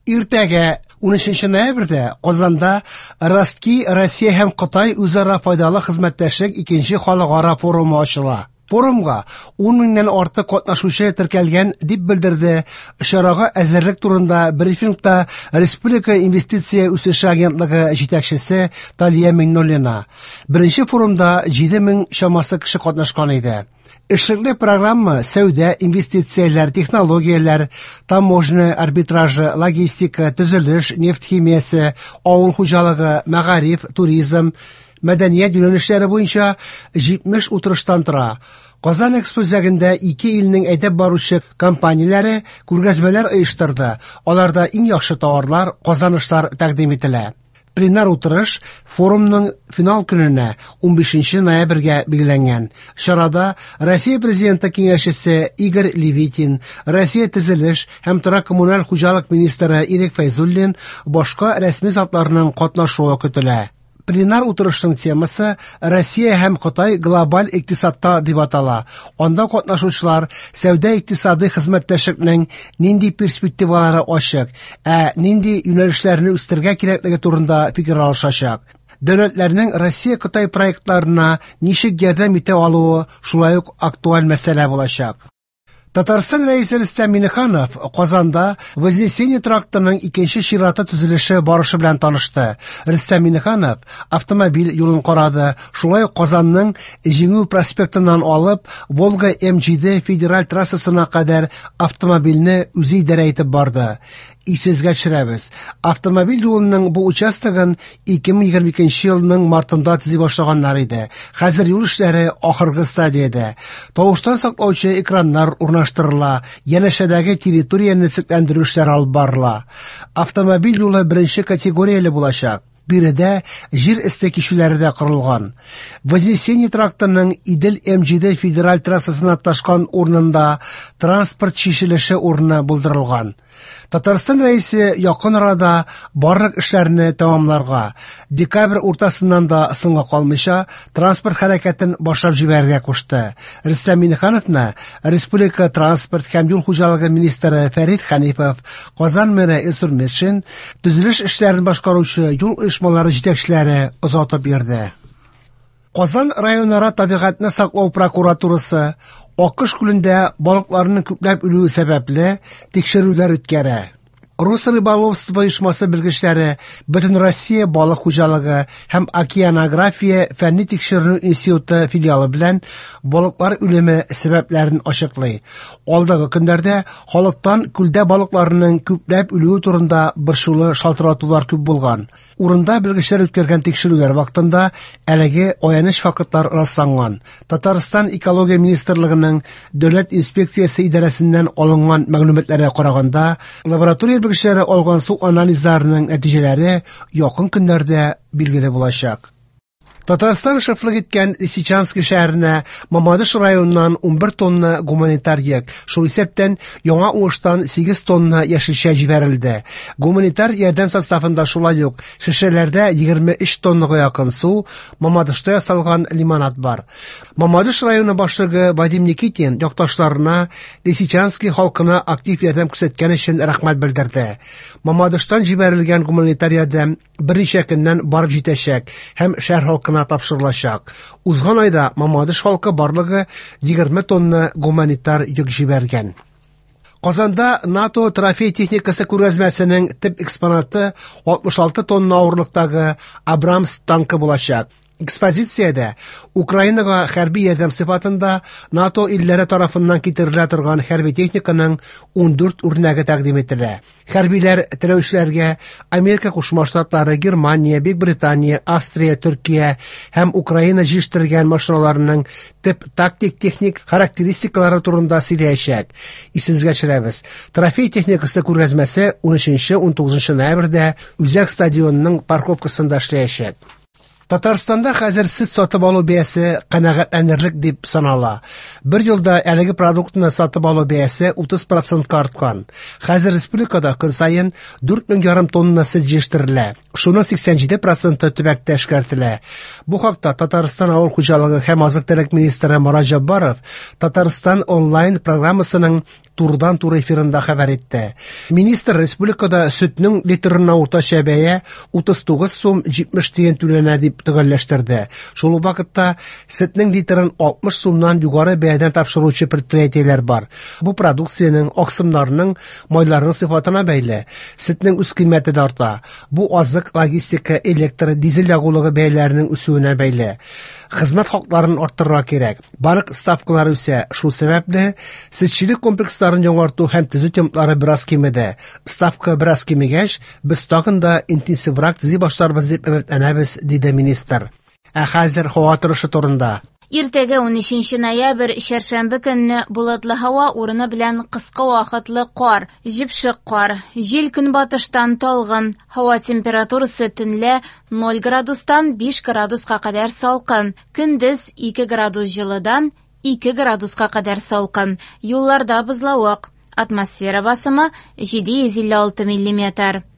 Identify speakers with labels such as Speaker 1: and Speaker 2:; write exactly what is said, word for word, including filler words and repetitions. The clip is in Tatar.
Speaker 1: Иртәгә унөченче ноябрьдә Казанда Ростки Россия һәм Кытай үзара файдалы хезмәттәшлек икенче халыкара форумы ачыла. Форумга ун меңнән артык катнашучы теркәлгән, дип белдерде чарага әзерлек турында брифингта Республика инвестиция үсеше агентлыгы җитәкчесе Талия Миңнуллина. Беренче форумда җиде мең чамасы кеше катнашкан иде. Эшлекле программа сәүдә, инвестицияләр, технологияләр, таможня арбитражы, логистика, төзелеш, нефть химиясе, авыл хуҗалыгы, мәгариф, туризм, мәдәният юнәлешләре буенча җитмеш утырыштан тора. Казан Экспо үзәгендә ике илнең әйдәп баручы компанияләре күргәзмәләр оештырды. Аларда иң яхшы товарлар, казанышлар тәкъдим ителә. Пленар утырыш форумның финал көненә унбишенче ноябрьгә билгеләнгән. Чарада Россия Президенты киңәшчесе Игорь Левитин, Россия төзелеш һәм торак коммуналь хуҗалык министры Ирек Фәйзуллин, башка рәсми затларның катнашуы көтелә. Пленар утырышның темасы Россия һәм Кытай глобаль икътисадта дип атала. Анда катнашучылар сәүдә икътисади хезмәттәшлекнең нинди перспективалары ачык, ә нинди юнәлешләрне үстерергә кирәклеге турында фикер алышачак. Дәүләтләрнең Россия-Кытай проектларына ничек ярдәм итә алуы шулай ук актуаль мәсьәлә булачак. Татарстан Рәисе Рөстәм Миңнеханов Казанда Вознесение трактының икенче чираты төзелеше барышы белән танышты. Рөстәм Миңнеханов автомобиль юлын карады. Шулай ук Казанның Җиңү проспектыннан алып Волга М җиде федераль трассасына кадәр автомобильне үзе идарә итеп барды. Исегезгә төшерәбез. Автомобиль юлының бу участогын ике мең егерме икенче елның мартында төзи башлаганнар иде. Хәзер юл эшләре ахыргы стадиядә. Тавыштан саклаучы экраннар урнаштырыла, янәшәдәге территорияне төзекләндерү эшләре алып барыла. Автомобиль юлы беренче категорияле булачак. Биредә җир өсте кичүләре дә корылган. Вознесение трактының Идел М җиде федераль трассасына ташкан урынында транспорт чишелеше урыны булдырылган. Татарстан Рәисе якын арада барлык эшләрне тәмамларга, декабрь уртасыннан да соңга калмыйча транспорт хәрәкәтен башлап җибәрергә кушты. Рөстәм Миңнехановны Республика транспорт һәм юл хуҗалыгы министры Фәрит Хәнифов, Казан мэры Илсур Метшин, төзелеш эшләрен башкаручы юл оешмалары җитәкчеләре озатып йөрде. Казан районара табигатьне саклау прокуратурасы Аккош күлендә балыкларның күпләп үлүе сәбәпле тикшерүләр үткәрә. Росрыболовство оешмасы белгечләре Бөтен Россия балык хуҗалыгы һәм океанография фәнни тикшеренү институты филиалы белән балыклар үлеме сәбәпләрен ачыклый. Алдагы көннәрдә халыктан күлдә балыкларның күпләп үлүе турында борчулы шалтыратулар күп булган. Урында белгечләр үткәргән тикшерүләр вакытында әлеге аяныч фактлар расланган. Татарстан Экология министрлыгының Дәүләт инспекциясе идарәсеннән алынган мәгълүматларга караганда, лаборатория белгечләре алган су анализларының нәтиҗәләре якын көннәрдә билгеле булачак. Татарстан шефлык иткән Лисичанский шәһәренә Мамадыш районыннан унбер тонна гуманитар йөк, шул исәптән яңа уңыштан сигез тонна яшелчә җибәрелде. Гуманитар ярдәм составында шулай ук шешәләрдә егерме өч тоннага якын су, Мамадышта ясалган лимонад бар. Мамадыш районы башлыгы Вадим Никитин якташларына Лисичанский халкына актив ярдәм күрсәткән өчен рәхмәт белдерде. Мамадыштан җибәрелгән гуманитар ярдәм берничә көннән барып җитәчәк һәм шәһәр халкына тапшырылачак. Узган айда Мамадыш халкы барлыгы егерме тонна гуманитар йөк җибәргән. Казанда НАТО трофей техникасы күргәзмәсенең төп экспонаты алтмыш алты тонна авырлыктагы Абрамс танкы булачак. Экспозициядә Украинага хәрби ярдәм сыйфатында НАТО илләре тарафыннан китерелә торган хәрби техниканың ундүрт үрнәге тәкъдим ителә. Хәрбиләр теләүчеләргә Америка Кушма Штатлары, Германия, Бөекбритания, Австрия, Төркия һәм Украина җитештергән машиналарының төп тактик техник характеристикалары турында сөйләячәк. Исегезгә төшерәбез. Трофей техникасы күргәзмәсе унөченче, унтугызынчы ноябрьдә Үзәк стадионының парковкасында эшләячәк. Татарстанда хәзер сөт сатып алу бәясе канәгатьләнерлек дип санала. Бер елда әлеге продуктны сатып алу бәясе утыз процентка арткан. Хәзер республикада көн саен дүрт мең ярым тонна сөт җитештерелә. Шуның сиксән җиде проценты төбәктә эшкәртелә. Бу хакта Татарстан авыл хуҗалыгы һәм азык-төлек министры Марат Җаббаров Татарстан онлайн программасының турыдан-туры эфирында хәбәр итте. Министр республикада сөтнең литрына уртача бәя утыз тугыз сум җитмеш тиен түләнә дип төгәлләштерде. Шул ук вакытта сөтнең литрын алтмыш сумнан югары бәядән тапшыручы предприятиеләр бар. Бу продукциянең, аксымнарның, майларның сыйфатына бәйле. Сөтнең үз кыйммәте дә арта. Бу азык, логистика, электр, дизель ягулыгы бәяләренең үсүенә бәйле. Хезмәт хакларын арттырырга кирәк. Банк ставкалары үсә. Шул сәбәпле сөтчелек комплексларын яңарту һәм төзү темплары бераз кимеде. Ставка бераз кимегәч, без тагын да интенсиврак төзи башларбыз дип өметләнәбез, диде министр. Ә хәзер һава торышы турында.
Speaker 2: Иртәгә унөченче ноябрь, чәршәмбе көнне болытлы һава урыны белән кыска вакытлы кар, җепшек кар, җил көнбатыштан талгын, һава температурасы төнлә ноль градустан биш градуска кадәр салкын, көндез ике градус җылыдан ике градуска кадәр салкын, юлларда бозлавык, атмосфера басымы җиде йөз илле алты миллиметр.